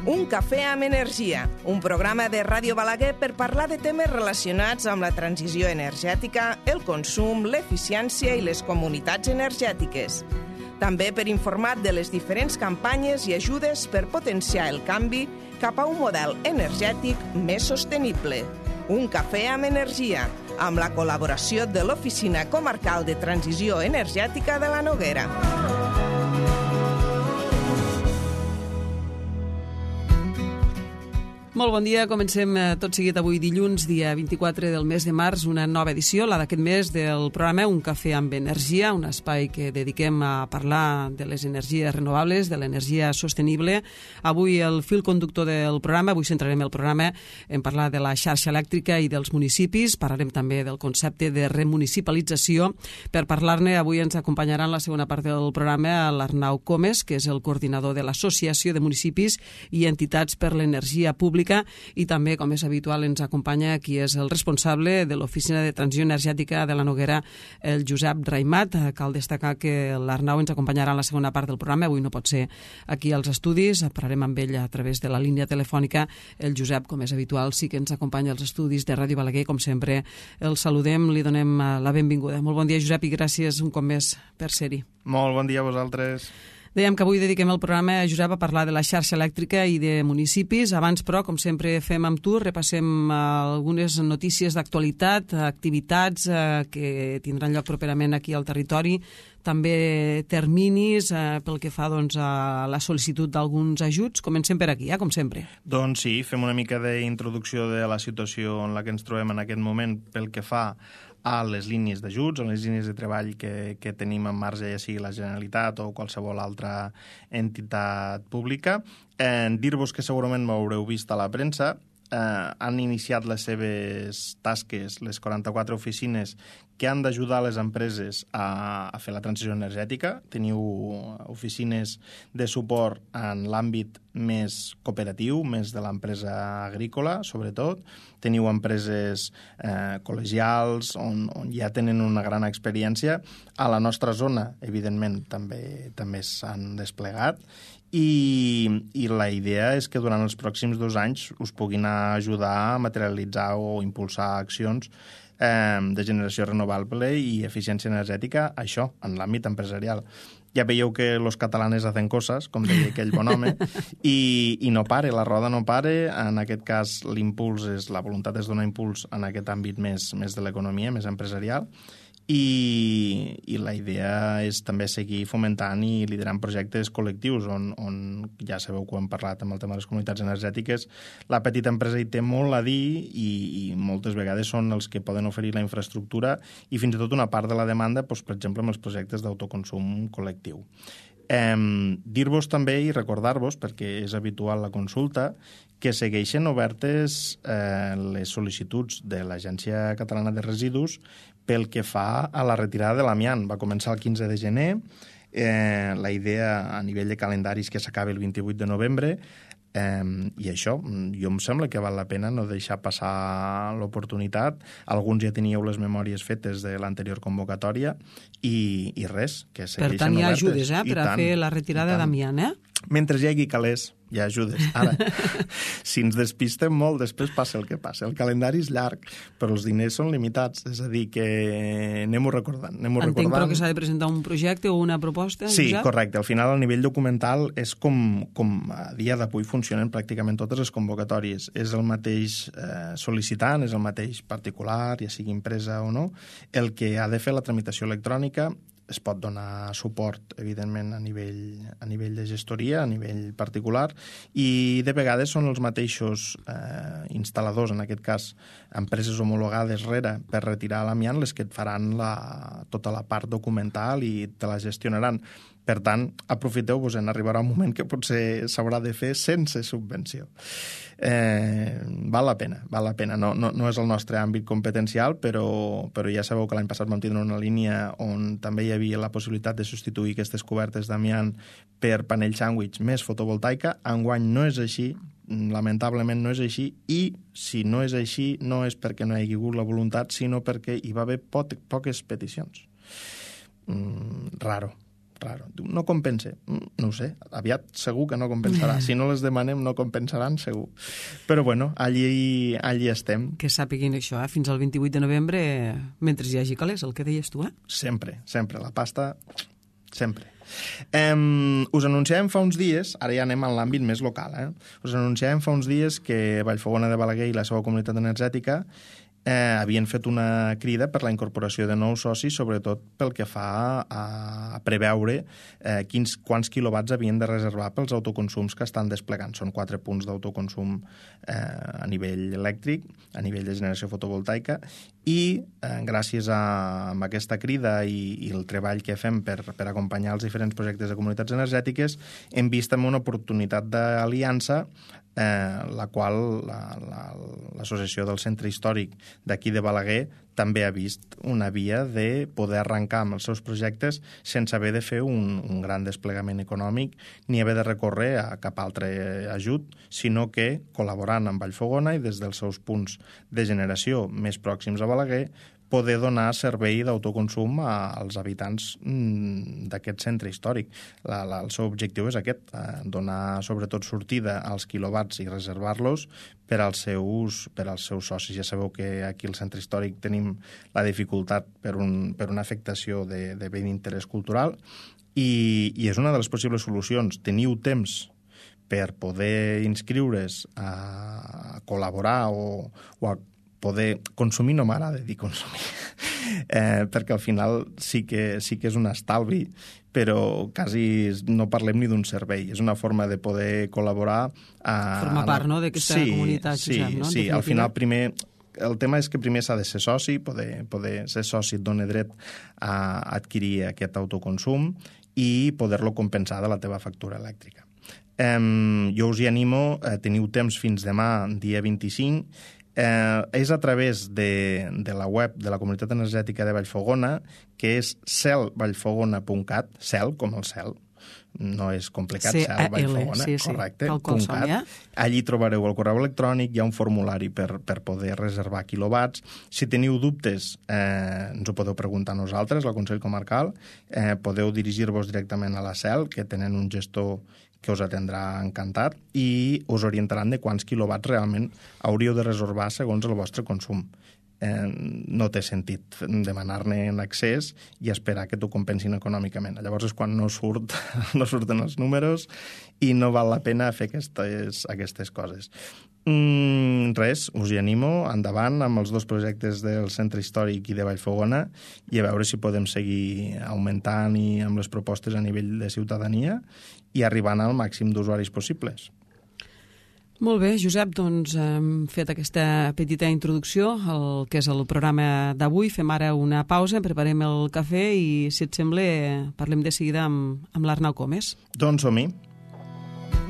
Un cafè amb energia, un programa de Ràdio Balaguer per parlar de temes relacionats amb la transició energètica, el consum, l'eficiència i les comunitats energètiques. També per informar de les diferents campanyes i ajudes per potenciar el canvi cap a un model energètic més sostenible. Un cafè amb energia, amb la col·laboració de l'Oficina Comarcal de Transició Energètica de la Noguera. Molt bon dia, comencem tot seguit avui dilluns, dia 24 del mes de març, una nova edició, la d'aquest mes del programa Un cafè amb energia, un espai que dediquem a parlar de les energies renovables, de l'energia sostenible. Avui el fil conductor del programa, avui centrarem el programa en parlar de la xarxa elèctrica i dels municipis, parlarem també del concepte de remunicipalització. Per parlar-ne, avui ens acompanyarà en la segona part del programa l'Arnau Comes, que és el coordinador de l'Associació de Municipis i Entitats per l'Energia Pública, i també, com és habitual, ens acompanya qui és el responsable de l'Oficina de Transició Energètica de la Noguera, el Josep Raimat. Cal destacar que l'Arnau ens acompanyarà en la segona part del programa, avui no pot ser aquí als estudis, parlarem amb ell a través de la línia telefònica. El Josep, com és habitual, sí que ens acompanya als estudis de Ràdio Balaguer, com sempre el saludem, li donem la benvinguda. Molt bon dia, Josep, i gràcies un cop més per ser-hi. Molt bon dia a vosaltres. Dèiem que avui dediquem el programa, Josep, a parlar de la xarxa elèctrica i de municipis. Abans, però, com sempre fem amb tu, repassem algunes notícies d'actualitat, activitats que tindran lloc properament aquí al territori, també terminis pel que fa doncs, a la sol·licitud d'alguns ajuts. Comencem per aquí, com sempre. Doncs sí, fem una mica d'introducció de la situació en la que ens trobem en aquest moment pel que fa a les línies d'ajuts, a les línies de treball que tenim en marge, ja sigui la Generalitat o qualsevol altra entitat pública. Dir-vos que segurament m'haureu vist a la premsa, han iniciat les seves tasques, les 44 oficines que han d'ajudar les empreses a fer la transició energètica. Teniu oficines de suport en l'àmbit més cooperatiu, més de l'empresa agrícola, sobretot. Teniu empreses col·legials on ja tenen una gran experiència. A la nostra zona, evidentment, també s'han desplegat. I la idea és que durant els pròxims 2 anys us puguin ajudar a materialitzar o impulsar accions de generació renovable i eficiència energètica, això, en l'àmbit empresarial. Ja veieu que los catalanes hacen coses, com deia aquell bon home, i no pare, la roda no pare. En aquest cas, la voluntat és donar impuls en aquest àmbit més de l'economia, més empresarial, i la idea és també seguir fomentant i liderant projectes col·lectius on ja sabeu que ho hem parlat amb el tema de les comunitats energètiques. La petita empresa hi té molt a dir i moltes vegades són els que poden oferir la infraestructura i fins i tot una part de la demanda, doncs, per exemple, amb els projectes d'autoconsum col·lectiu. Dir-vos també i recordar-vos, perquè és habitual la consulta, que segueixen obertes les sol·licituds de l'Agència Catalana de Residus pel que fa a la retirada de l'amiant. Va començar el 15 de gener, la idea a nivell de calendaris que s'acabi el 28 de novembre, i això, jo em sembla que val la pena no deixar passar l'oportunitat. Alguns ja teníeu les memòries fetes de l'anterior convocatòria i res, que segueixen obertes. Per tant, hi ha ajudes per a fer la retirada d'amiant, Mentre hi hagi calés, hi ha ajudes. Ara, si ens despistem molt, després passa el que passa. El calendari és llarg, però els diners són limitats. És a dir, que anem-ho recordant. Entenc, però, que s'ha de presentar un projecte o una proposta? Sí, correcte. Al final, a nivell documental, és com a dia d'avui funcionen pràcticament totes les convocatòries. És el mateix sol·licitant, és el mateix particular, ja sigui empresa o no, el que ha de fer la tramitació electrònica. Es pot donar suport, evidentment, a nivell de gestoria, a nivell particular, i de vegades són els mateixos instal·ladors, en aquest cas empreses homologades per retirar l'amiant, les que et faran tota la part documental i te la gestionaran. Per tant, aprofiteu-vos, arribarà un moment que potser s'haurà de fer sense subvenció. Val la pena. No és el nostre àmbit competencial, però ja sabeu que l'any passat vam tindre una línia on també hi havia la possibilitat de substituir aquestes cobertes d'amiant per panell sàndwich més fotovoltaica. Enguany no és així, lamentablement no és així, i si no és així no és perquè no hi hagi hagut la voluntat, sinó perquè hi va haver poques peticions. Raro. raro. Diu, no compensa. No ho sé, aviat segur que no compensarà. Si no les demanem, no compensaran, segur. Però bueno, allí estem. Que sàpiguin això, fins al 28 de novembre, mentre hi hagi calés, el que deies tu, Sempre, la pasta, sempre. Us anunciàvem fa uns dies, ara ja anem en l'àmbit més local, us anunciàvem fa uns dies que Vallfogona de Balaguer i la seva comunitat energètica havien fet una crida per la incorporació de nous socis, sobretot pel que fa a preveure quants quilowatts havien de reservar pels autoconsums que estan desplegant. Són 4 punts d'autoconsum a nivell elèctric, a nivell de generació fotovoltaica, i gràcies a aquesta crida i el treball que fem per acompanyar els diferents projectes de comunitats energètiques, hem vist també una oportunitat d'aliança la qual l'Associació del Centre Històric d'aquí de Balaguer també ha vist una via de poder arrencar amb els seus projectes sense haver de fer un gran desplegament econòmic ni haver de recórrer a cap altre ajut, sinó que col·laborant amb Vallfogona i des dels seus punts de generació més pròxims a Balaguer poder donar servei d'autoconsum als habitants d'aquest centre històric. El seu objectiu és aquest, donar sobretot sortida als quilowatts i reservar-los per als seus socis. Ja sabeu que aquí al centre històric tenim la dificultat per una afectació de bé d'interès cultural i és una de les possibles solucions. Teniu temps per poder inscriure's a col·laborar o a poder consumir, no m'agrada dir consumir, perquè al final sí que és un estalvi, però quasi no parlem ni d'un servei. És una forma de poder col·laborar. Formar part, no?, d'aquesta comunitat. Sí, no? Sí. Al final primer... El tema és que primer s'ha de ser soci, poder ser soci et dona dret a adquirir aquest autoconsum i poder-lo compensar de la teva factura elèctrica. Jo us hi animo, teniu temps fins demà, dia 25, és a través de la web de la Comunitat Energètica de Vallfogona, que és celvallfogona.cat, cel com el cel, no és complicat, cel Vallfogona, correcte, .cat. Allí trobareu el correu electrònic, hi ha un formulari per poder reservar quilowatts. Si teniu dubtes, ens ho podeu preguntar a nosaltres, al Consell Comarcal, podeu dirigir-vos directament a la CEL, que tenen un gestor que us atendrà encantat i us orientaran de quants quilowatts realment hauríeu de reservar segons el vostre consum. No té sentit demanar-ne en excés i esperar que t'ho compensin econòmicament. Llavors és quan no surten els números i no val la pena fer aquestes coses. Res, us hi animo, endavant amb els 2 projectes del Centre Històric i de Vallfogona i a veure si podem seguir augmentant i amb les propostes a nivell de ciutadania i arribant al màxim d'usuaris possibles. Molt bé, Josep, doncs hem fet aquesta petita introducció al que és el programa d'avui. Fem ara una pausa, preparem el cafè i, si et sembla, parlem de seguida amb l'Arnau Comes. Doncs som-hi.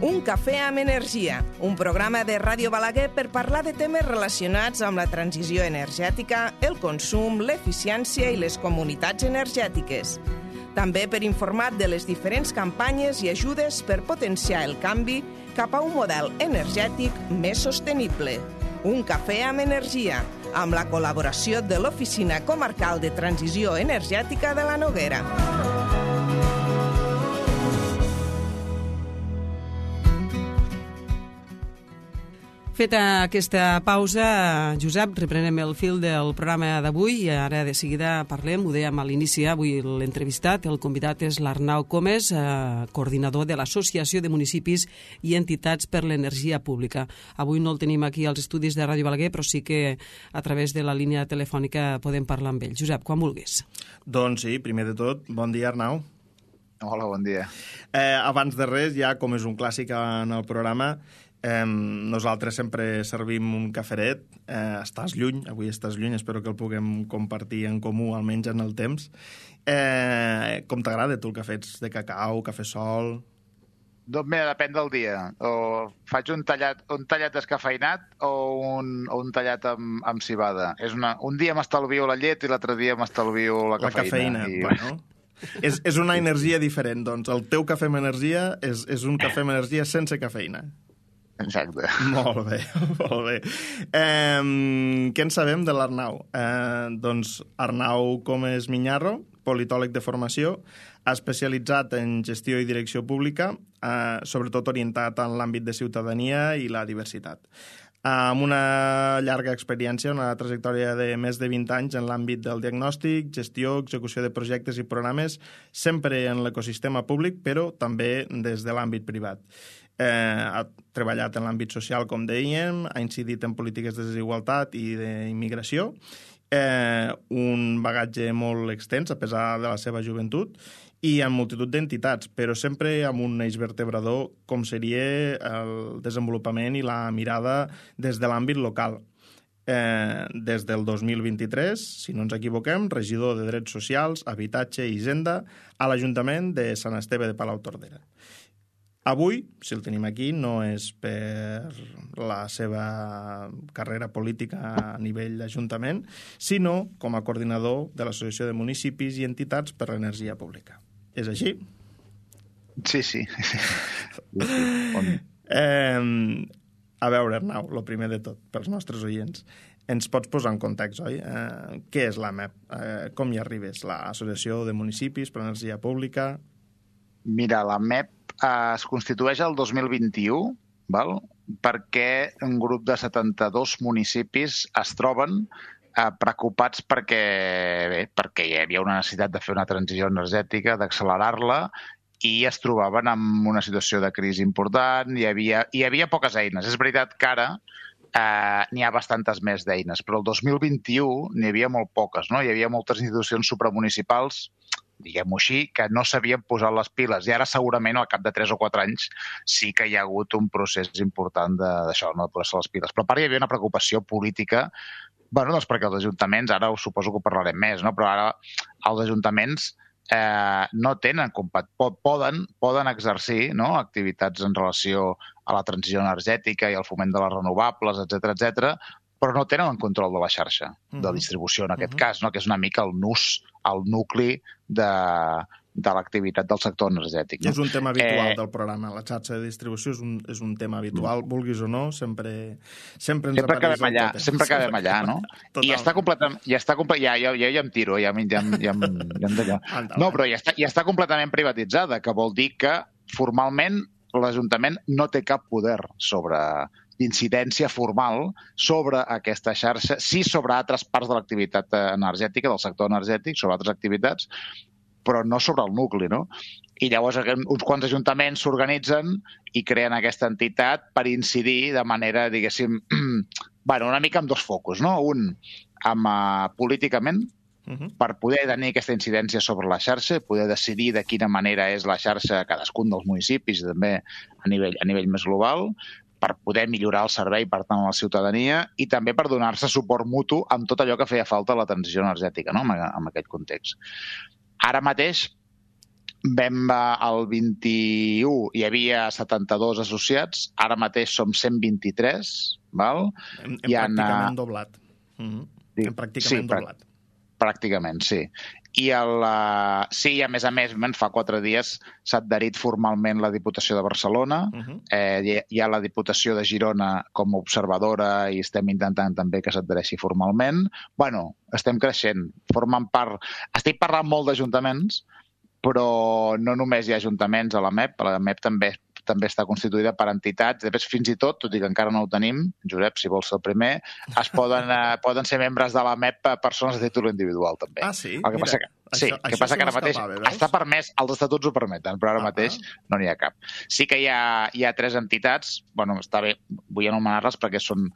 Un cafè amb energia, un programa de Ràdio Balaguer per parlar de temes relacionats amb la transició energètica, el consum, l'eficiència i les comunitats energètiques. També per informar de les diferents campanyes i ajudes per potenciar el canvi cap a un model energètic més sostenible. Un cafè amb energia, amb la col·laboració de l'Oficina Comarcal de Transició Energètica de la Noguera. Feta aquesta pausa, Josep, reprenem el fil del programa d'avui i ara de seguida parlem, ho dèiem a l'inici, avui l'entrevistat, el convidat és l'Arnau Comes, coordinador de l'Associació de Municipis i Entitats per l'Energia Pública. Avui no el tenim aquí als estudis de Ràdio Balaguer, però sí que a través de la línia telefònica podem parlar amb ell. Josep, quan vulguis. Doncs sí, primer de tot, bon dia, Arnau. Hola, bon dia. Abans de res, ja com és un clàssic en el programa, nosaltres sempre servim un caferet. Estàs lluny, avui estàs lluny, espero que el puguem compartir en comú, almenys en el temps. Com t'agrada tu el cafè? Ets de cacau, cafè sol? Doncs mira, depèn del dia. O faig un tallat descafeinat o un tallat amb cibada. Un dia m'estalvio la llet i l'altre dia m'estalvio la cafeïna. Bueno. És una energia diferent, doncs. El teu cafè amb energia és un cafè amb energia sense cafeïna. Exacte. Molt bé, molt bé. Què en sabem de l'Arnau? Doncs Arnau Comes Miñarro, politòleg de formació, especialitzat en gestió i direcció pública, sobretot orientat en l'àmbit de ciutadania i la diversitat. Amb una llarga experiència, una trajectòria de més de 20 anys en l'àmbit del diagnòstic, gestió, execució de projectes i programes, sempre en l'ecosistema públic, però també des de l'àmbit privat. Ha treballat en l'àmbit social, com dèiem, ha incidit en polítiques de desigualtat i d'immigració, un bagatge molt extens, a pesar de la seva joventut, i en multitud d'entitats, però sempre amb un eix vertebrador com seria el desenvolupament i la mirada des de l'àmbit local. Des del 2023, si no ens equivoquem, regidor de Drets Socials, Habitatge i Hisenda a l'Ajuntament de Sant Esteve de Palautordera. Avui, si el tenim aquí, no és per la seva carrera política a nivell d'Ajuntament, sinó com a coordinador de l'Associació de Municipis i Entitats per l'Energia Pública. És així? Sí. A veure, Arnau, el primer de tot, pels nostres oients, ens pots posar en context, oi? Què és l'AMEP? Com hi arribes? L'Associació de Municipis per l'Energia Pública? Mira, l'AMEP es constitueix el 2021, val? Perquè un grup de 72 municipis es troben preocupats perquè hi havia una necessitat de fer una transició energètica, d'accelerar-la, i es trobaven en una situació de crisi important, hi havia poques eines. És veritat que ara n'hi ha bastantes més d'eines, però el 2021 n'hi havia molt poques, no? Hi havia moltes institucions supramunicipals, diguem-ho així, que no s'havien posat les piles, i ara segurament al cap de 3 o 4 anys sí que hi ha hagut un procés important d'això, no? De posar-se les piles. Però a part hi havia una preocupació política, doncs perquè els ajuntaments, ara suposo que ho parlarem més, no? Però ara els ajuntaments no tenen, poden exercir, no? Activitats en relació a la transició energètica i al foment de les renovables, etc, però no tenen el control de la xarxa de distribució, en aquest cas, no? Que és una mica el nucli de l'activitat del sector energètic. No? És un tema habitual del programa. La xarxa de distribució és un tema habitual, vulguis o no, sempre ens apareix el tema. Sempre acabem allà, no? I està completament... Ja em tiro, ja d'allò. No, però ja està completament privatitzada, que vol dir que formalment l'Ajuntament no té cap poder d'incidència formal sobre aquesta xarxa, sí sobre altres parts de l'activitat energètica, del sector energètic, sobre altres activitats, però no sobre el nucli, no? I llavors uns quants ajuntaments s'organitzen i creen aquesta entitat per incidir de manera, diguéssim, una mica amb dos focus, no? Un, políticament, per poder tenir aquesta incidència sobre la xarxa, poder decidir de quina manera és la xarxa a cadascun dels municipis, també a nivell més global, per poder millorar el servei, per tant, a la ciutadania, i també per donar-se suport mutu amb tot allò que feia falta a la transició energètica, no? En aquest context. Ara mateix, el 21 hi havia 72 associats, ara mateix som 123, val? Hem pràcticament doblat. Hem pràcticament doblat. Pràcticament, sí. I a més, fa 4 dies s'ha adherit formalment la Diputació de Barcelona, hi ha la Diputació de Girona com a observadora i estem intentant també que s'adhereixi formalment. Estem creixent, formen part... Estic parlant molt d'ajuntaments, però no només hi ha ajuntaments a l'AMEP també està constituïda per entitats. Després, fins i tot i que encara no ho tenim, Josep, si vols ser el primer, poden ser membres de l'AMEP persones de títol individual, també. Ah, sí? El que passa que ara mateix està permès, els estatuts ho permeten, però ara mateix no n'hi ha cap. Sí que hi ha 3 entitats, està bé, vull anomenar-les perquè són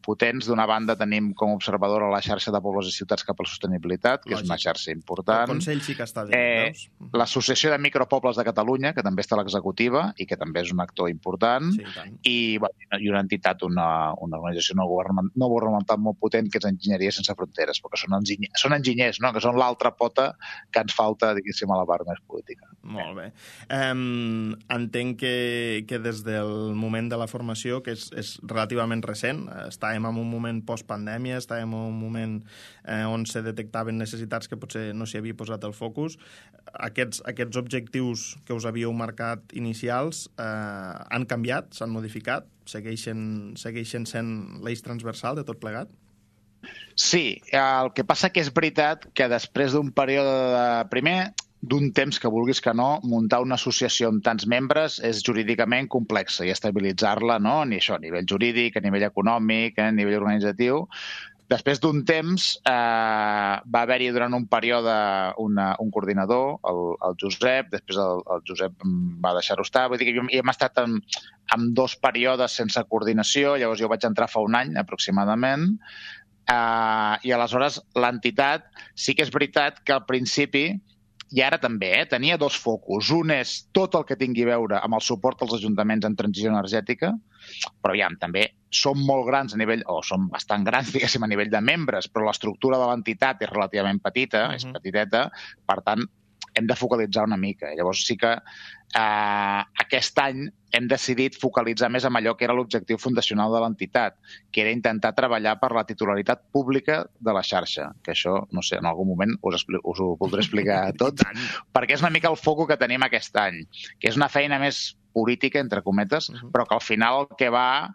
potents. D'una banda tenim com a observadora la xarxa de pobles i ciutats cap a la sostenibilitat, que és una xarxa important. El Consell sí que està dins, l'Associació de Micropobles de Catalunya, que també està a l'executiva i que també és un actor important, i una entitat, una organització no governamental molt potent, que és Enginyeria Sense Fronteres, perquè són enginyers, no? Que són l'altra pota que ens falta, diguéssim, a la part més política. Molt bé. Entenc que des del moment de la formació, que és relativament recent, estàvem en un moment post-pandèmia, estàvem en un moment on se detectaven necessitats que potser no s'hi havia posat el focus. Aquests objectius que us havíeu marcat inicials han canviat, s'han modificat, segueixen sent l'eix transversal de tot plegat? Sí, el que passa que és veritat que després d'un període d'un temps que vulguis que no, muntar una associació amb tants membres és jurídicament complexa i estabilitzar-la, no? Ni això, a nivell jurídic, a nivell econòmic, a nivell organitzatiu. Després d'un temps va haver-hi durant un període un coordinador, el Josep, després el Josep va deixar-ho estar. Vull dir que hem estat en 2 períodes sense coordinació, llavors jo vaig entrar fa un any aproximadament, i aleshores l'entitat sí que és veritat que al principi, i ara també, tenia 2 focus. Un és tot el que tingui a veure amb el suport als ajuntaments en transició energètica, però també som molt grans a nivell, o som bastant grans, diguéssim, a nivell de membres, però l'estructura de l'entitat és relativament petita, és petiteta, per tant, hem de focalitzar una mica. Llavors sí que aquest any hem decidit focalitzar més en allò que era l'objectiu fundacional de l'entitat, que era intentar treballar per la titularitat pública de la xarxa, que això, no sé, en algun moment us ho voldré explicar tot, perquè és una mica el foco que tenim aquest any, que és una feina més política, entre cometes, però que al final el que va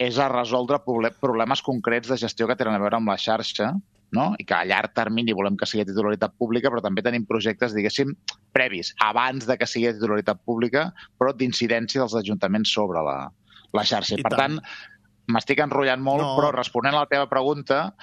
és a resoldre problemes concrets de gestió que tenen a veure amb la xarxa, no? I que a llarg termini volem que sigui titularitat pública, però també tenim projectes, diguéssim, previs, abans de que sigui titularitat pública, però d'incidència dels ajuntaments sobre la xarxa. I per tant, m'estic enrotllant molt, però responent a la teva pregunta,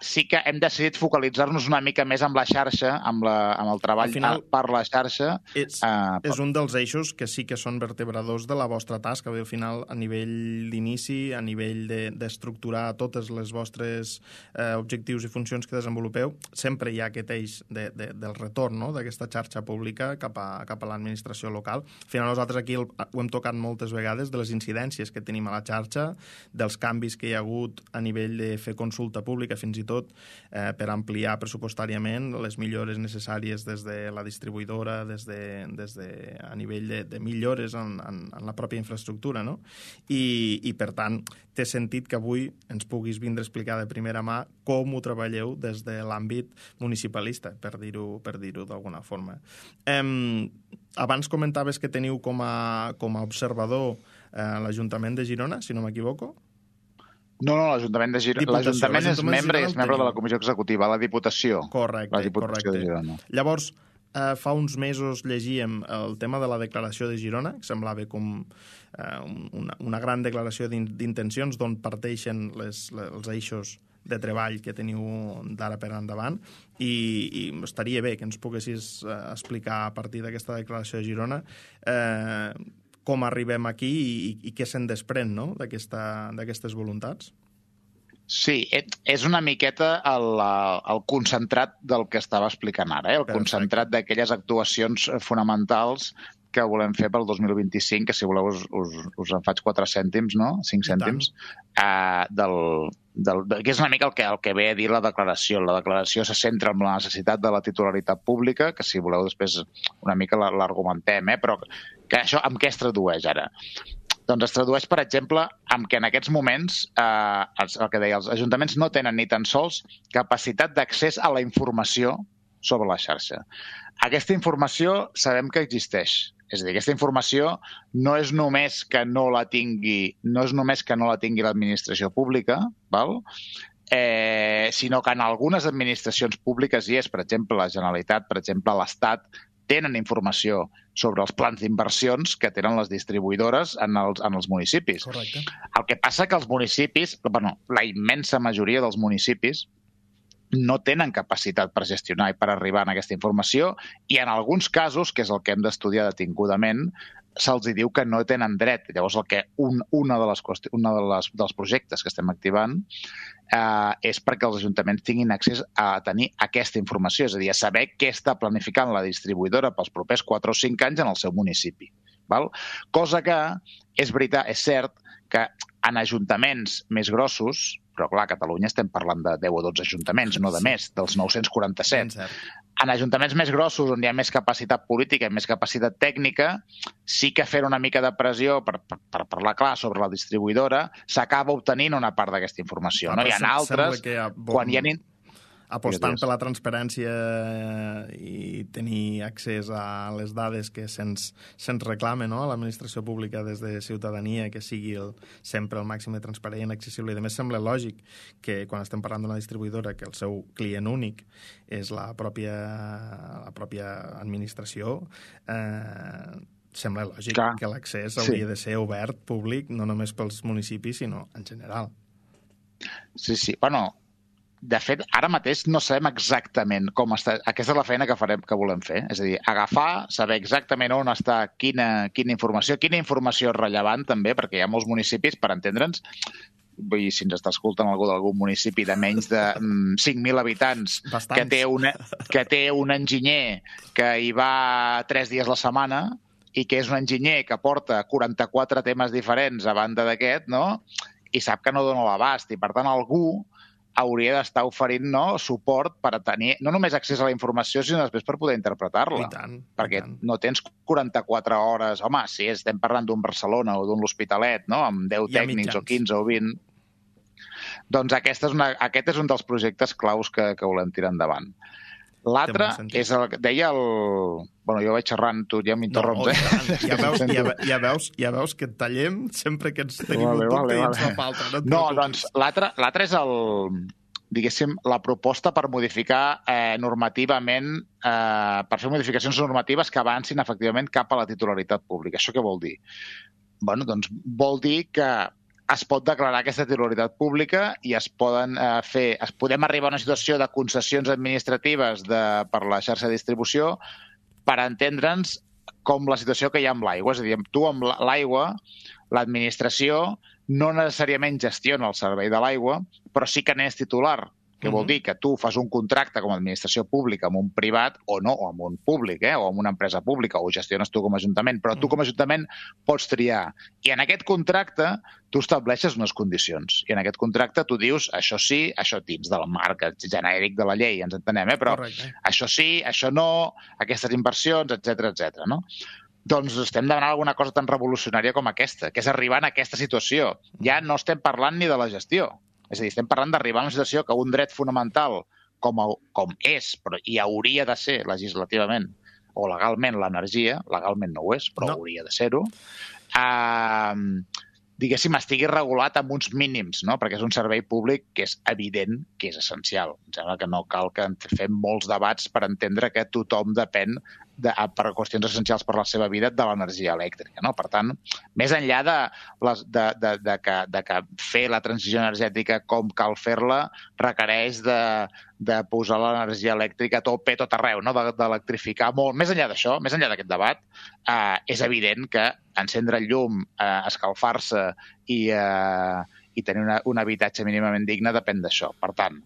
sí que hem decidit focalitzar-nos una mica més amb la xarxa, amb el treball per la xarxa. És un dels eixos que sí que són vertebradors de la vostra tasca. Al final, a nivell d'inici, a nivell d'estructurar totes les vostres objectius i funcions que desenvolupeu, sempre hi ha aquest eix del retorn, no?, d'aquesta xarxa pública cap a l'administració local. Al final, nosaltres aquí ho hem tocat moltes vegades, de les incidències que tenim a la xarxa, dels canvis que hi ha hagut a nivell de fer consulta pública, fins i tot per ampliar pressupostàriament les millores necessàries des de la distribuïdora, a nivell de millores en la pròpia infraestructura, no? I per tant, té sentit que avui ens puguis vindre a explicar de primera mà com ho treballeu des de l'àmbit municipalista, per dir-ho d'alguna forma. Abans comentaves que teniu com a observador l'Ajuntament de Girona, si no m'equivoco? No, l'Ajuntament de Girona. L'Ajuntament és membre de la Comissió Executiva, la Diputació. Correcte. La Diputació de Girona. Llavors, fa uns mesos llegíem el tema de la declaració de Girona, que semblava com una gran declaració d'intencions d'on parteixen els eixos de treball que teniu d'ara per endavant, i estaria bé que ens poguessis explicar a partir d'aquesta declaració de Girona com arribem aquí i què se'n desprèn, no?, d'aquestes voluntats. Sí, és una miqueta el concentrat del que estava explicant ara, el concentrat d'aquelles actuacions fonamentals que volem fer pel 2025, que si voleu us en faig 4 cèntims, no? 5 cèntims, que és una mica el que ve a dir la declaració. La declaració se centra en la necessitat de la titularitat pública, que si voleu després una mica l'argumentem, però que això amb què es tradueix ara? Doncs es tradueix, per exemple, amb que en aquests moments, el que deia, els ajuntaments no tenen ni tan sols capacitat d'accés a la informació sobre la xarxa. Aquesta informació sabem que existeix. És a dir, aquesta informació no és només que no la tingui l'administració pública, sinó que en algunes administracions públiques hi és, per exemple, la Generalitat, per exemple, l'Estat, tenen informació sobre els plans d'inversions que tenen les distribuïdores en els municipis. Correcte. El que passa que els municipis, la immensa majoria dels municipis, no tenen capacitat per gestionar i per arribar a aquesta informació, i en alguns casos, que és el que hem d'estudiar detingudament, se'ls diu que no tenen dret. Llavors, una dels projectes que estem activant és perquè els ajuntaments tinguin accés a tenir aquesta informació, és a dir, a saber què està planificant la distribuïdora pels propers 4 o 5 anys en el seu municipi. Cosa que és veritat, és cert que en ajuntaments més grossos, però clar, a Catalunya estem parlant de 10 o 12 ajuntaments, no de més, dels 947. En ajuntaments més grossos, on hi ha més capacitat política i més capacitat tècnica, sí que fer una mica de pressió per parlar clar sobre la distribuïdora s'acaba obtenint una part d'aquesta informació. No? Hi ha altres, quan hi ha... apostant per la transparència i tenir accés a les dades que se'ns reclama, no?, a l'administració pública des de ciutadania, que sigui sempre el màxim de transparent, accessible. I a més sembla lògic que quan estem parlant d'una distribuïdora que el seu client únic és la pròpia administració, sembla lògic que l'accés hauria de ser obert, públic, no només pels municipis, sinó en general. Sí. Bueno, de fet, ara mateix no sabem exactament com està. Aquesta és la feina que volem fer. És a dir, agafar, saber exactament on està quina informació és rellevant també, perquè hi ha molts municipis, per entendre'ns, vull dir, si ens està escoltant algú d'algun municipi de menys de 5.000 habitants que té un enginyer que hi va 3 dies la setmana i que és un enginyer que porta 44 temes diferents a banda d'aquest, no?, i sap que no dona l'abast. I, per tant, algú hauria d'estar oferint, no, suport per tenir no només accés a la informació, sinó després per poder interpretar-la. Perquè no tens 44 hores... Home, si estem parlant d'un Barcelona o d'un L'Hospitalet, no?, amb 10 tècnics o 15 o 20... Doncs aquest és un dels projectes claus que volem tirar endavant. L'altre és el que deia el... Bueno, jo vaig xerrant, tu ja m'interromps, Ja veus que et tallem sempre que ens tenim un dubte i ens fa falta. No, doncs l'altre és diguéssim, la proposta per modificar normativament, per fer modificacions normatives que avancin efectivament cap a la titularitat pública. Això què vol dir? Bueno, doncs vol dir que es pot declarar aquesta titularitat pública i podem arribar a una situació de concessions administratives per la xarxa de distribució per entendre'ns com la situació que hi ha amb l'aigua. És a dir, tu amb l'aigua, l'administració no necessàriament gestiona el servei de l'aigua, però sí que n'és titular, que vol dir que tu fas un contracte com a administració pública amb un privat o no, o amb un públic, o amb una empresa pública, o gestiones tu com a ajuntament, però tu com a ajuntament pots triar. I en aquest contracte tu estableixes unes condicions. I en aquest contracte tu dius això sí, això dins del marc genèric de la llei, ens entenem, però això sí, això no, aquestes inversions, etc. no? Doncs estem demanant alguna cosa tan revolucionària com aquesta, que és arribar a aquesta situació. Ja no estem parlant ni de la gestió. És a dir, estem parlant d'arribar a una situació que un dret fonamental com és, però hi hauria de ser legislativament o legalment l'energia, legalment no ho és, però hauria de ser-ho, diguéssim, estigui regulat amb uns mínims, no? Perquè és un servei públic que és evident que és essencial. Em sembla que no cal que fem molts debats per entendre que tothom depèn per qüestions essencials per la seva vida de l'energia elèctrica, no? Per tant, més enllà de que fer la transició energètica com cal fer-la requereix de posar l'energia elèctrica a tope, tot arreu, no? D'electrificar molt. Més enllà d'això, més enllà d'aquest debat, és evident que encendre el llum, escalfar-se i tenir un habitatge mínimament digne depèn d'això. Per tant,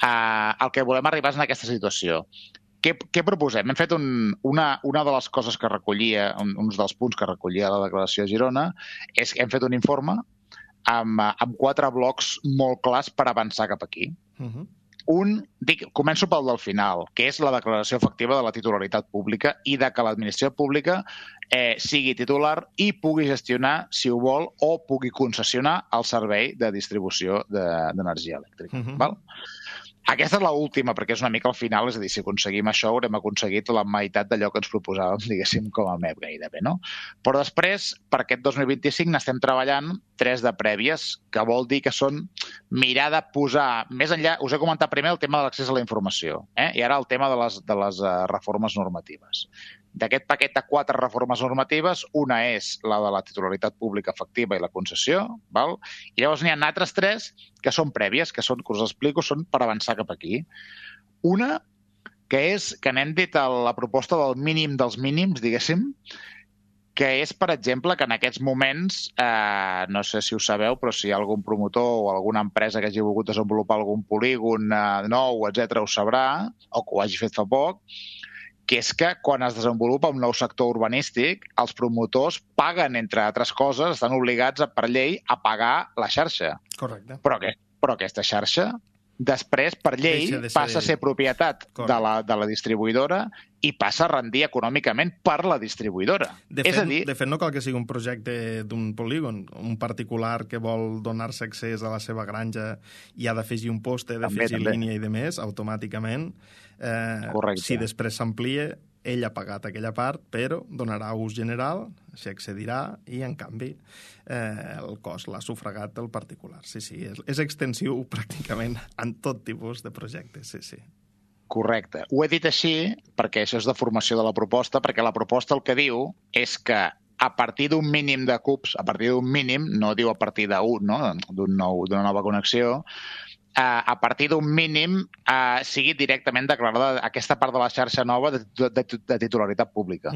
el que volem arribar és en aquesta situació. Què proposem? Hem fet una de les coses que recollia, uns dels punts que recollia la declaració de Girona, és que hem fet un informe amb 4 blocs molt clars per avançar cap aquí. Començo pel del final, que és la declaració efectiva de la titularitat pública i de que l'administració pública sigui titular i pugui gestionar, si ho vol, o pugui concessionar el servei de distribució d'energia elèctrica. Val? Aquesta és l'última, perquè és una mica al final, és a dir, si aconseguim això haurem aconseguit la meitat d'allò que ens proposàvem, diguéssim, com a MEP gairebé, no? Però després, per aquest 2025, n'estem treballant 3 de prèvies, que vol dir que són mirar de posar, més enllà, us he comentat primer el tema de l'accés a la informació, i ara el tema de les reformes normatives. D'aquest paquet de 4 reformes normatives, una és la de la titularitat pública efectiva i la concessió, val? I llavors n'hi ha altres 3 que són prèvies, que us explico, són per avançar cap aquí. Una, que és que n'hem dit la proposta del mínim dels mínims, diguéssim, que és, per exemple, que en aquests moments, no sé si ho sabeu, però si hi ha algun promotor o alguna empresa que hagi volgut desenvolupar algun polígon nou, etc., ho sabrà, o que ho hagi fet fa poc, que és que quan es desenvolupa un nou sector urbanístic, els promotors paguen, entre altres coses, estan obligats per llei a pagar la xarxa. Correcte. Però aquesta xarxa després, per llei, passa a ser propietat de la distribuïdora i passa a rendir econòmicament per la distribuïdora. De fet, no cal que sigui un projecte d'un polígon. Un particular que vol donar-se accés a la seva granja i ha d'afegir un poste, d'afegir línia i de més, automàticament. Si després s'amplia, ell ha pagat aquella part, però donarà ús general, s'hi accedirà i, en canvi, el cost l'ha sufragat el particular. Sí, és extensiu pràcticament en tot tipus de projectes, sí. Correcte. Ho he dit així perquè això és de formació de la proposta, perquè la proposta el que diu és que a partir d'un mínim de cubs, a partir d'un mínim, no diu a partir d'un, no? D'una nova connexió, a partir d'un mínim sigui directament declarada aquesta part de la xarxa nova de titularitat pública.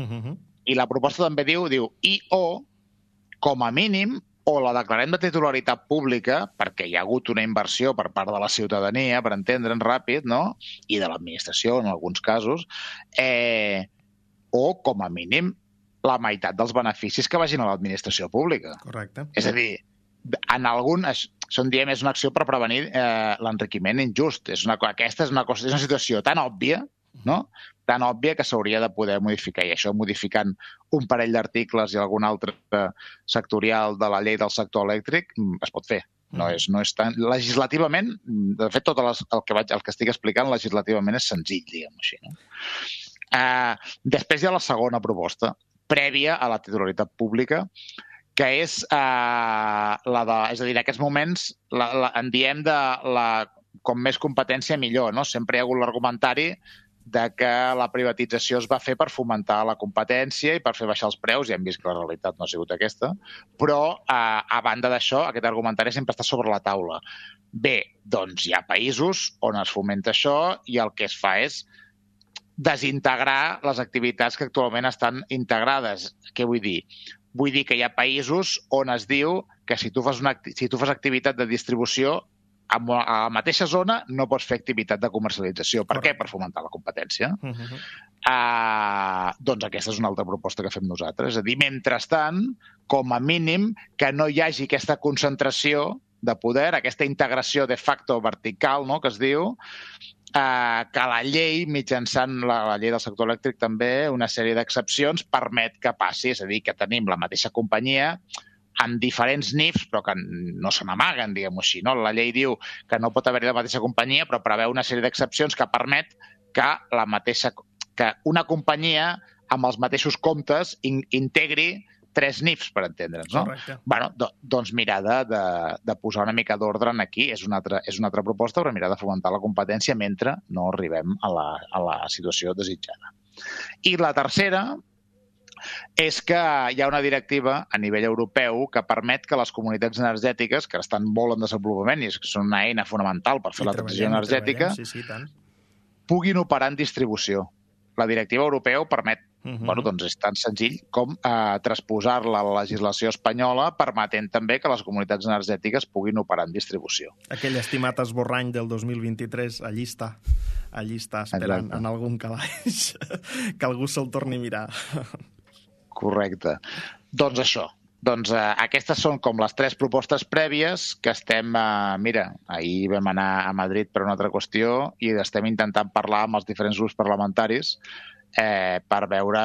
I la proposta també diu i o, com a mínim, o la declarem de titularitat pública, perquè hi ha hagut una inversió per part de la ciutadania, per entendre'n ràpid, no? I de l'administració, en alguns casos, o, com a mínim, la meitat dels beneficis que vagin a l'administració pública. Correcte. És a dir, en algun... Això en diem és una acció per prevenir l'enriquiment injust. Aquesta és una situació tan òbvia, no? Tan òbvia que s'hauria de poder modificar. I això modificant un parell d'articles i algun altre sectorial de la llei del sector elèctric es pot fer. No és tan... Legislativament, de fet, tot el que estic explicant legislativament és senzill, diguem-ho així. No? Després hi ha la segona proposta, prèvia a la titularitat pública, que és la de... És a dir, en aquests moments en diem de com més competència millor, no? Sempre hi ha hagut l'argumentari de que la privatització es va fer per fomentar la competència i per fer baixar els preus, i hem vist que la realitat no ha sigut aquesta, però a banda d'això, aquest argumentari sempre està sobre la taula. Bé, doncs hi ha països on es fomenta això i el que es fa és desintegrar les activitats que actualment estan integrades. Què vull dir? Vull dir que hi ha països on es diu que si tu fas activitat de distribució a la mateixa zona no pots fer activitat de comercialització. Per què? Per fomentar la competència. Doncs aquesta és una altra proposta que fem nosaltres. És a dir, mentrestant, com a mínim, que no hi hagi aquesta concentració de poder, aquesta integració de facto vertical, no?, que es diu, que la llei, mitjançant la llei del sector elèctric també, una sèrie d'excepcions, permet que passi. És a dir, que tenim la mateixa companyia amb diferents NIFs, però que no se n'amaguen, diguem-ho així. No? La llei diu que no pot haver-hi la mateixa companyia, però preveu una sèrie d'excepcions que permet que una companyia amb els mateixos comptes integri 3 NIFs, per entendre'ns, no? Correcte. Bueno, doncs mirar de posar una mica d'ordre aquí és una altra proposta, però mirar de fomentar la competència mentre no arribem a la situació desitjada. I la tercera és que hi ha una directiva a nivell europeu que permet que les comunitats energètiques, que estan molt en desenvolupament i són una eina fonamental per fer la transició energètica, puguin operar en distribució. La directiva europea ho permet. Doncs és tan senzill com transposar-la a la legislació espanyola, permetent també que les comunitats energètiques puguin operar en distribució. Aquell estimat esborrany del 2023, allí està esperant. Exacte. En algun calaix que algú se'l torni a mirar. Correcte. Doncs això. Doncs aquestes són com les 3 propostes prèvies que estem... Mira, ahir vam anar a Madrid per una altra qüestió i estem intentant parlar amb els diferents grups parlamentaris per veure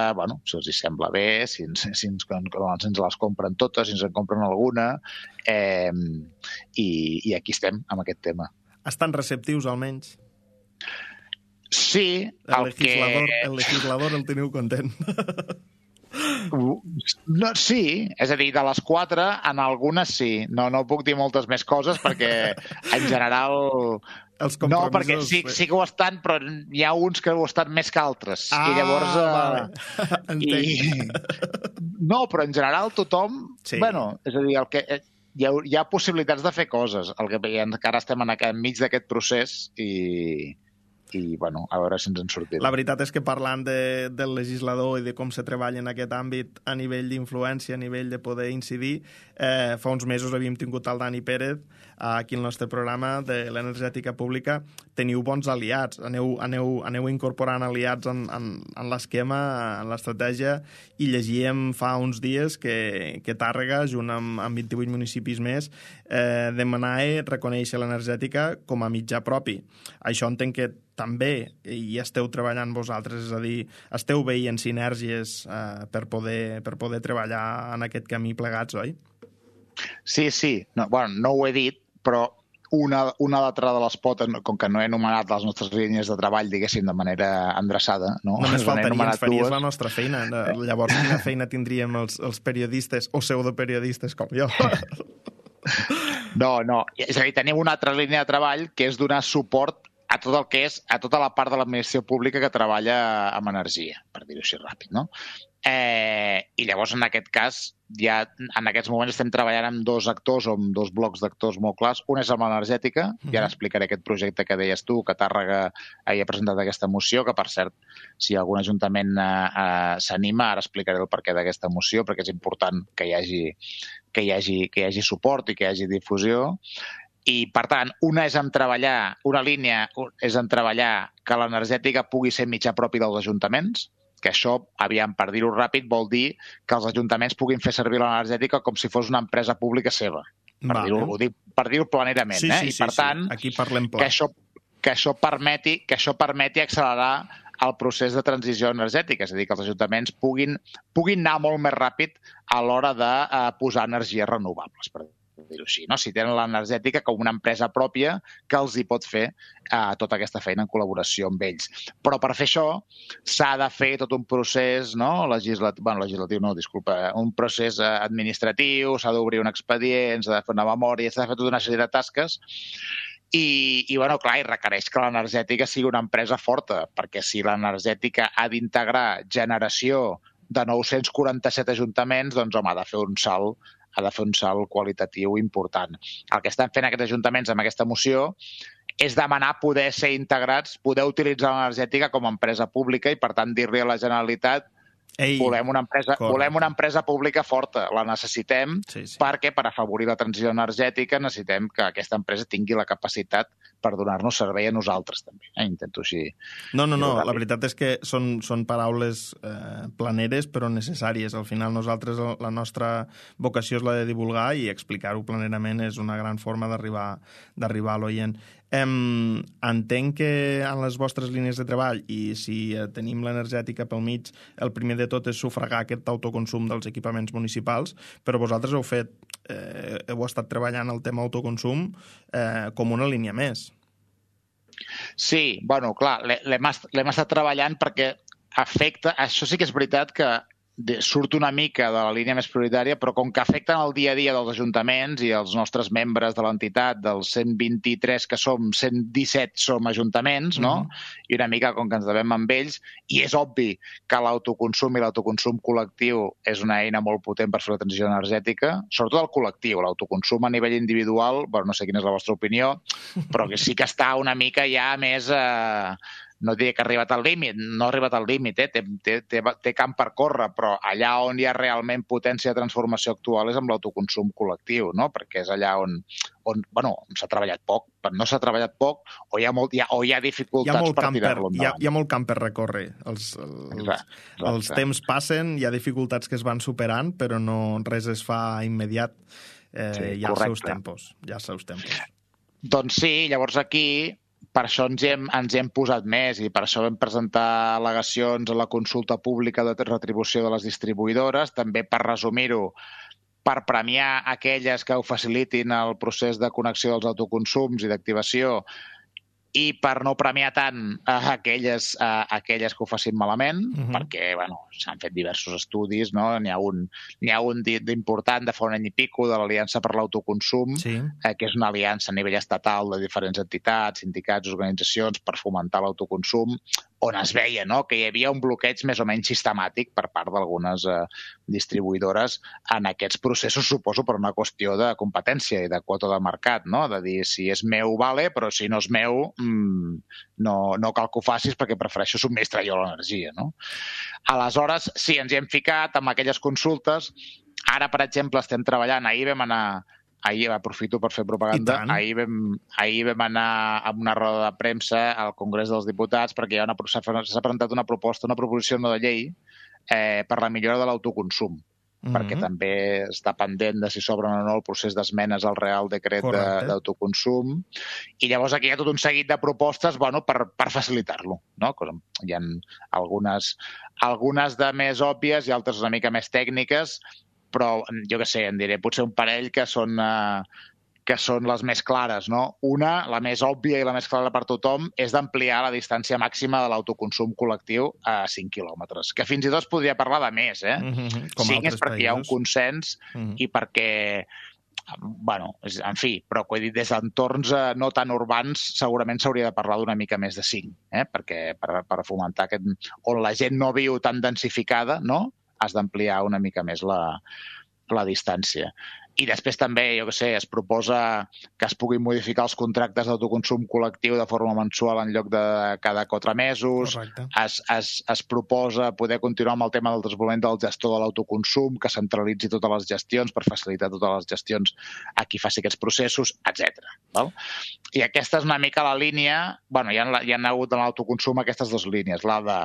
si els sembla bé, si ens les compren totes, si ens en compren alguna, i aquí estem amb aquest tema. Estan receptius, almenys? Sí. El legislador el teniu content. No, sí, és a dir, de les 4 en algunes sí, no puc dir moltes més coses perquè en general no, perquè sí que ho estan, però hi ha uns que ho estan més que altres i llavors no, però en general tothom és a dir, hi ha possibilitats de fer coses, el que encara estem enmig d'aquest procés i bueno, a veure si ens en sortim. La veritat és que parlant del legislador i de com se treballa en aquest àmbit a nivell d'influència, a nivell de poder incidir, fa uns mesos havíem tingut el Dani Pérez aquí al nostre programa de l'energètica pública. Teniu bons aliats, aneu incorporant aliats en l'esquema, en l'estratègia, i llegíem fa uns dies que Tàrrega, junt amb 28 municipis més, demanava reconèixer l'energètica com a mitjà propi. Això entenc que també hi esteu treballant vosaltres, és a dir, esteu veient sinergies per poder treballar en aquest camí plegats, oi? Sí. No ho he dit, però una altra de les potes, com que no he anomenat les nostres línies de treball, diguéssim, de manera endreçada, no? Només faltaria, ens faries la nostra feina. Llavors, quina feina tindríem els periodistes o pseudoperiodistes com jo? No. És a dir, tenim una altra línia de treball que és donar suport a tot el que és, a tota la part de l'administració pública que treballa amb energia, per dir-ho així ràpid, no? I llavors, en aquest cas, ja en aquests moments estem treballant amb dos actors o amb dos blocs d'actors molt clars. Un és amb l'energètica, i ara explicaré aquest projecte que deies tu, que Tàrrega havia presentat aquesta moció, que per cert, si algun ajuntament s'anima, ara explicaré el perquè d'aquesta moció, perquè és important que hi hagi suport i que hi hagi difusió. I, per tant, una línia és en treballar que l'energètica pugui ser mitjà propi dels ajuntaments, que això, per dir-ho ràpid, vol dir que els ajuntaments puguin fer servir l'energètica com si fos una empresa pública seva, per dir-ho planerament. I, per tant, aquí parlem pla. Que això permeti accelerar el procés de transició energètica, és a dir, que els ajuntaments puguin anar molt més ràpid a l'hora de posar energies renovables, per dir-ho així, no? Si tenen l'energètica com una empresa pròpia que els hi pot fer tota aquesta feina en col·laboració amb ells. Però per fer això s'ha de fer tot un procés un procés administratiu, s'ha d'obrir un expedient, s'ha de fer una memòria, s'ha de fer tota una sèrie de tasques i requereix que l'energètica sigui una empresa forta, perquè si l'energètica ha d'integrar generació de 947 ajuntaments, doncs home, ha de fer un salt qualitatiu important. El que estan fent aquests ajuntaments amb aquesta moció és demanar poder ser integrats, poder utilitzar l'energètica com a empresa pública i, per tant, dir-li a la Generalitat volem una empresa pública forta, la necessitem perquè per afavorir la transició energètica necessitem que aquesta empresa tingui la capacitat per donar-nos servei a nosaltres també. Intento així... No, la veritat és que són paraules planeres però necessàries. Al final nosaltres la nostra vocació és la de divulgar i explicar-ho planerament és una gran forma d'arribar a l'oient. Entenc que en les vostres línies de treball i si tenim l'energètica pel mig, el primer de tot és sufragar aquest autoconsum dels equipaments municipals, però vosaltres heu estat treballant el tema autoconsum com una línia més. Sí, clar, l'hem estat treballant perquè afecta... Això sí que és veritat que surt una mica de la línia més prioritària, però com que afecten el dia a dia dels ajuntaments i els nostres membres de l'entitat, dels 123 que som, 117 som ajuntaments, no? I una mica com que ens devem amb ells, i és obvi que l'autoconsum i l'autoconsum col·lectiu és una eina molt potent per fer la transició energètica, sobretot el col·lectiu. L'autoconsum a nivell individual, no sé quina és la vostra opinió, però que sí que està una mica ja més... No diré que ha arribat al límit, no ha arribat al límit, té camp per córrer, però allà on hi ha realment potència de transformació actual és amb l'autoconsum col·lectiu, no? Perquè és allà on s'ha treballat poc, no s'ha treballat poc o hi ha dificultats per tirar-lo endavant. Hi ha molt camp per recórrer. Els temps passen, hi ha dificultats que es van superant, però res es fa immediat. Hi ha els seus tempos. Doncs sí, llavors aquí... Per això ens hi hem posat més i per això vam presentar al·legacions a la consulta pública de retribució de les distribuïdores, també per resumir-ho, per premiar aquelles que ho facilitin el procés de connexió dels autoconsums i d'activació i per no premiar tant aquelles que ho facin malament, perquè s'han fet diversos estudis, no? N'hi ha un d'important de fa un any i pico de l'Aliança per l'Autoconsum, que és una aliança a nivell estatal de diferents entitats, sindicats, organitzacions per fomentar l'autoconsum, on es veia, no?, que hi havia un bloqueig més o menys sistemàtic per part d'algunes distribuïdores en aquests processos, suposo, per una qüestió de competència i de quota de mercat, no?, de dir, si és meu, vale, però si no és meu, no cal que ho facis perquè prefereixo subministrar jo l'energia, no? Aleshores, sí, ens hi hem ficat amb aquelles consultes. Ara, per exemple, estem treballant, ahir aprofito per fer propaganda, ahir vam anar a una roda de premsa al Congrés dels Diputats perquè s'ha presentat una proposició no de llei per la millora de l'autoconsum, perquè també està pendent de si s'obre o no el procés d'esmenes al Real Decret d'autoconsum, i llavors aquí hi ha tot un seguit de propostes per facilitar-lo, no? Hi ha algunes de més òbvies i altres una mica més tècniques, però jo què sé, en diré potser un parell que són les més clares, no? Una, la més òbvia i la més clara per tothom, és d'ampliar la distància màxima de l'autoconsum col·lectiu a 5 quilòmetres, que fins i tot es podria parlar de més, 5 és perquè hi ha un consens i perquè, en fi, però que he dit, des d'entorns no tan urbans segurament s'hauria de parlar d'una mica més de 5, perquè per fomentar on la gent no viu tan densificada, no?, has d'ampliar una mica més la distància. I després també, jo què sé, es proposa que es puguin modificar els contractes d'autoconsum col·lectiu de forma mensual en lloc de cada 4 mesos. Es proposa poder continuar amb el tema del desenvolupament del gestor de l'autoconsum, que centralitzi totes les gestions per facilitar totes les gestions a qui faci aquests processos, etc. I aquesta és una mica la línia. Hi ha hagut en l'autoconsum aquestes dues línies, la de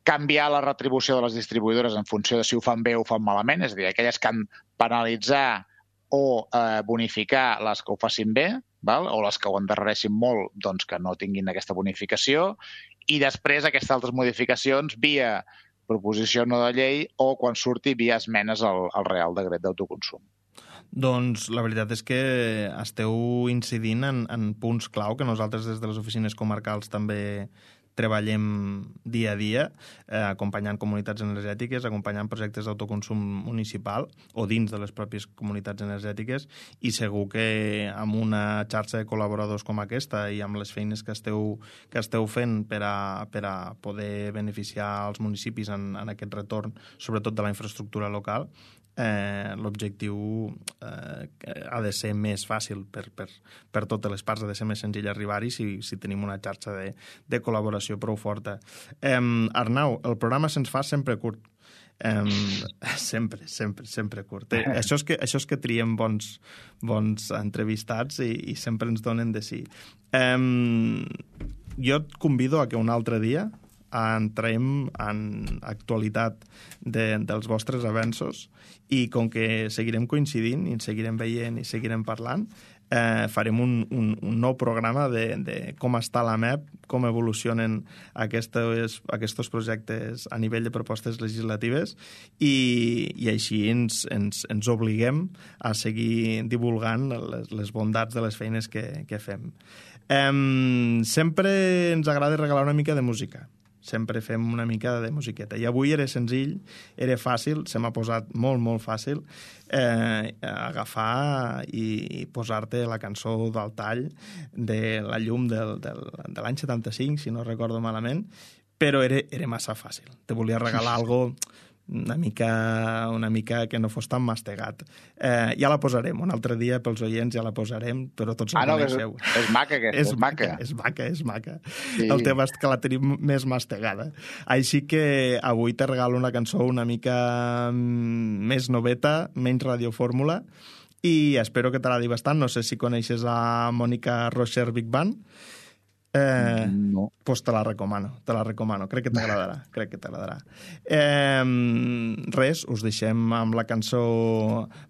canviar la retribució de les distribuïdores en funció de si ho fan bé o ho fan malament, és a dir, aquelles que han penalitzar o bonificar les que ho facin bé, o les que ho endarrereixin molt, doncs que no tinguin aquesta bonificació, i després aquestes altres modificacions via proposició no de llei o quan surti via esmenes al Real Decret d'autoconsum. Doncs la veritat és que esteu incidint en punts clau que nosaltres des de les oficines comarcals també treballem dia a dia, acompanyant comunitats energètiques, acompanyant projectes d'autoconsum municipal o dins de les pròpies comunitats energètiques, i segur que amb una xarxa de col·laboradors com aquesta i amb les feines que esteu fent per a poder beneficiar els municipis en aquest retorn, sobretot de la infraestructura local, l'objectiu ha de ser més fàcil per totes les parts, ha de ser més senzill arribar-hi si tenim una xarxa de col·laboració prou forta. Arnau, el programa se'ns fa sempre curt. Sempre curt. Això és que triem bons entrevistats i sempre ens donen de sí. Jo et convido a que un altre dia entrem en actualitat dels vostres avenços, i com que seguirem coincidint i ens seguirem veient i seguirem parlant, farem un nou programa de com està la MEP, com evolucionen aquests projectes a nivell de propostes legislatives, i així ens obliguem a seguir divulgant les bondats de les feines que fem. Sempre ens agrada regalar una mica de música. Sempre fem una mica de musiqueta. I avui era senzill, era fàcil, se m'ha posat molt, molt fàcil agafar i posar-te la cançó del tall de La llum de l'any 75, si no recordo malament, però era massa fàcil. Te volia regalar algo una mica que no fos tan mastegat. Ja la posarem, un altre dia pels oients ja la posarem, però tots la coneixeu. És maca aquesta, és maca. Sí. El tema és que la tenim més mastegada. Així que avui te regalo una cançó una mica més noveta, menys radiofórmula, i espero que t'agradi bastant. No sé si coneixes a Mònica Rocher Big Band. No. Pues te la recomano. Crec que t'agradarà. Res, us deixem amb la cançó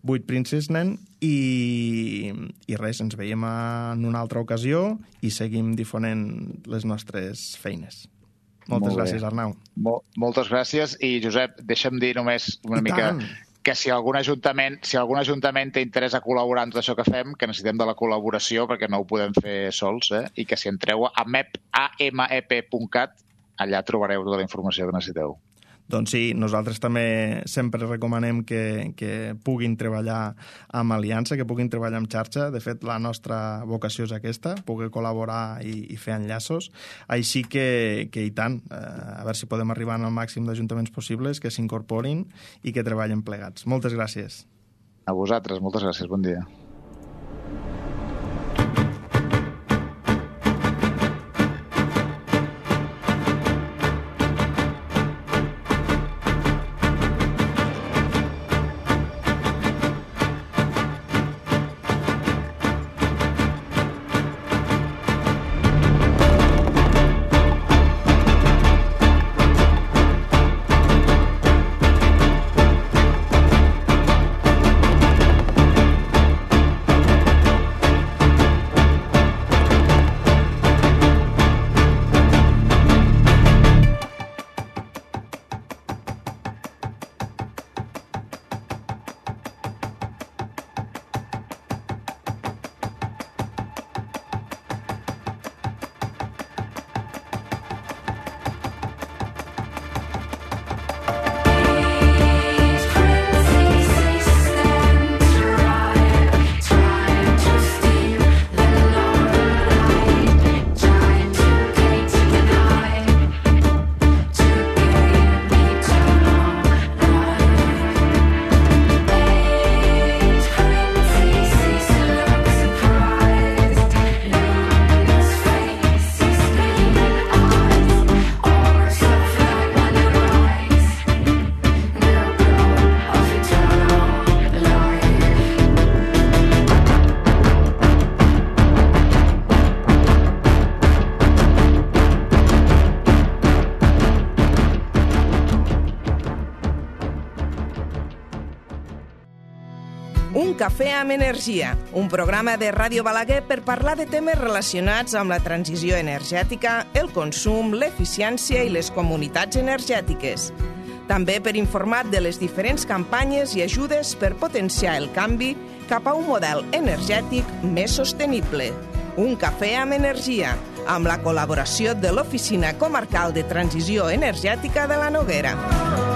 8 Princess Nen i res, ens veiem en una altra ocasió i seguim difonent les nostres feines. Moltes gràcies, Arnau. Moltes gràcies, i Josep, deixa'm dir només una mica que si algun ajuntament té interès a col·laborar en tot això que fem, que necessitem de la col·laboració perquè no ho podem fer sols, i que si entreu a mep.cat, allà trobareu tota la informació que necessiteu. Doncs sí, nosaltres també sempre recomanem que puguin treballar amb aliança, que puguin treballar amb xarxa. De fet, la nostra vocació és aquesta, poder col·laborar i fer enllaços. Així que i tant, a veure si podem arribar al màxim d'ajuntaments possibles, que s'incorporin i que treballen plegats. Moltes gràcies. A vosaltres, moltes gràcies. Bon dia. Un cafè amb energia, un programa de Ràdio Balaguer per parlar de temes relacionats amb la transició energètica, el consum, l'eficiència i les comunitats energètiques. També per informar de les diferents campanyes i ajudes per potenciar el canvi cap a un model energètic més sostenible. Un cafè amb energia, amb la col·laboració de l'Oficina Comarcal de Transició Energètica de la Noguera.